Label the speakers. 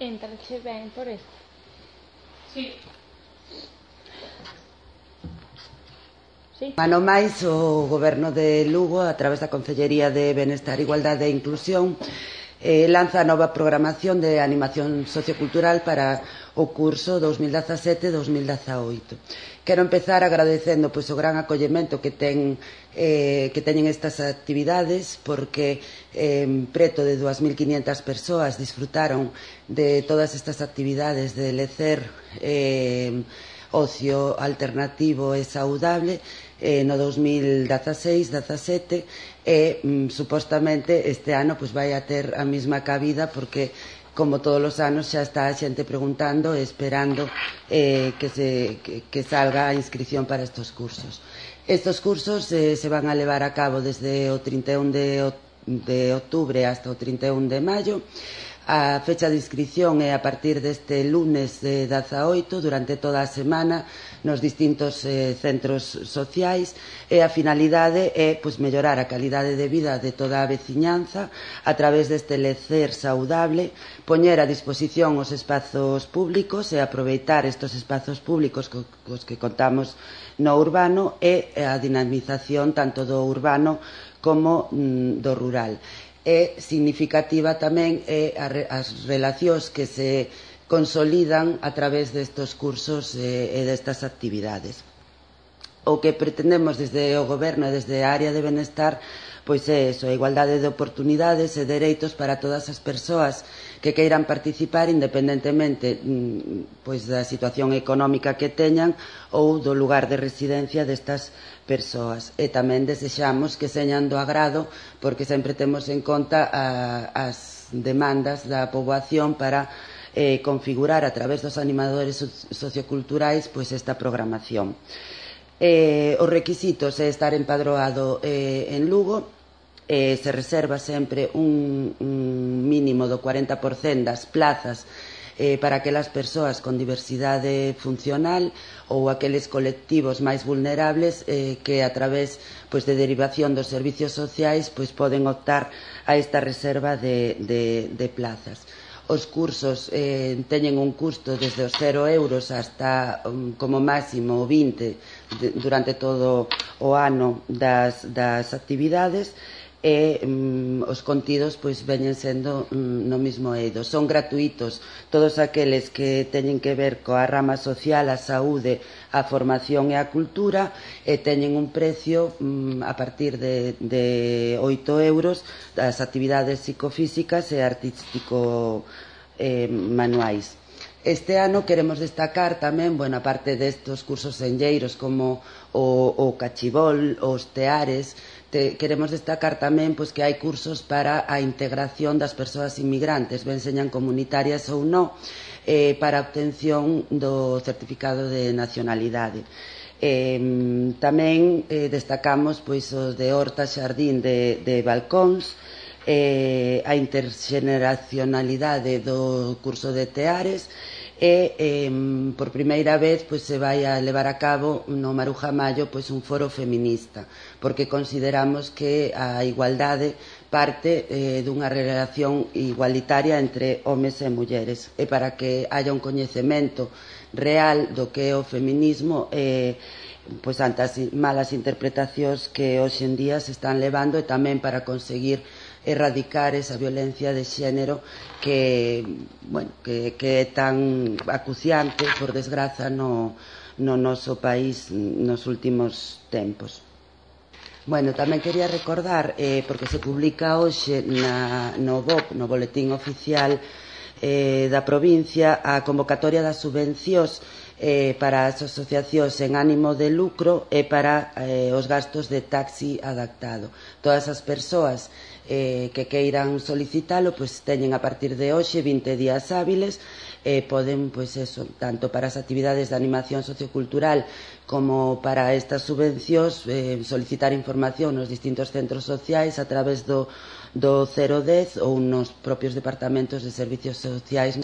Speaker 1: Entrache ben por este.
Speaker 2: Sí.
Speaker 1: Sí.
Speaker 3: Ano máis, o Goberno de Lugo, a través da Concellería de Benestar, Igualdade e Inclusión, lanza a nova programación de animación sociocultural para o curso 2017-2018. Quero empezar agradecendo o gran acollemento que teñen estas actividades, porque preto de 2.500 persoas disfrutaron de todas estas actividades de lecer ocio alternativo e saudable no 2016-17 e supostamente este ano vai a ter a mesma cabida, porque como todos os anos xa está a xente preguntando e esperando que salga a inscripción para estes cursos. Estes cursos se van a levar a cabo desde o 31 de outubro hasta o 31 de maio. A fecha de inscripción é a partir deste lunes 18, durante toda a semana, nos distintos centros sociais, e a finalidade é mellorar a calidade de vida de toda a veciñanza a través deste lecer saudable, poñer a disposición os espazos públicos e aproveitar estes espazos públicos cos que contamos no urbano, e a dinamización tanto do urbano como do rural. É significativa tamén as relacións que se consolidan a través destes cursos e destas actividades. O que pretendemos desde o Goberno e desde a área de benestar é a igualdade de oportunidades e dereitos para todas as persoas que queiran participar, independentemente da situación económica que teñan ou do lugar de residencia destas persoas. E tamén desexamos que señan do agrado, porque sempre temos en conta as demandas da poboación para configurar a través dos animadores socioculturais esta programación. Os requisitos é estar empadroado en Lugo, se reserva sempre un mínimo do 40% das plazas para aquelas persoas con diversidade funcional ou aqueles colectivos máis vulnerables que a través de derivación dos servicios sociais poden optar a esta reserva de plazas. Os cursos teñen un custo desde os 0 euros hasta como máximo 20 durante todo o ano das actividades, e os contidos veñen sendo no mesmo eido. Son gratuitos todos aqueles que teñen que ver coa rama social, a saúde, a formación e a cultura, e teñen un precio a partir de 8 euros das actividades psicofísicas e artístico manuais. Este ano queremos destacar tamén, a parte destes cursos senlleiros como o cachibol, os teares, queremos destacar tamén que hai cursos para a integración das persoas inmigrantes, ben señan comunitarias ou non, para a obtención do certificado de nacionalidade. Tamén destacamos os de horta xardín de balcóns, a interxeneracionalidade do curso de teares, e por primeira vez se vai a levar a cabo no Maruja Maio un foro feminista, porque consideramos que a igualdade parte dunha relación igualitaria entre homes e mulleres, e para que haya un coñecemento real do que é o feminismo ante as malas interpretacións que hoxe en día se están levando, e tamén para conseguir erradicar esa violencia de xénero que é tan acuciante, por desgraza, no noso país nos últimos tempos. Tamén quería recordar, porque se publica hoxe no BOP, no Boletín Oficial da provincia, a convocatoria das subvencións para as asociacións en ánimo de lucro e para os gastos de taxi adaptado. Todas as persoas que queiran solicitalo teñen a partir de hoxe 20 días hábiles, poden, tanto para as actividades de animación sociocultural como para estas subvencións, solicitar información nos distintos centros sociais a través do 010 ou nos propios departamentos de servicios sociais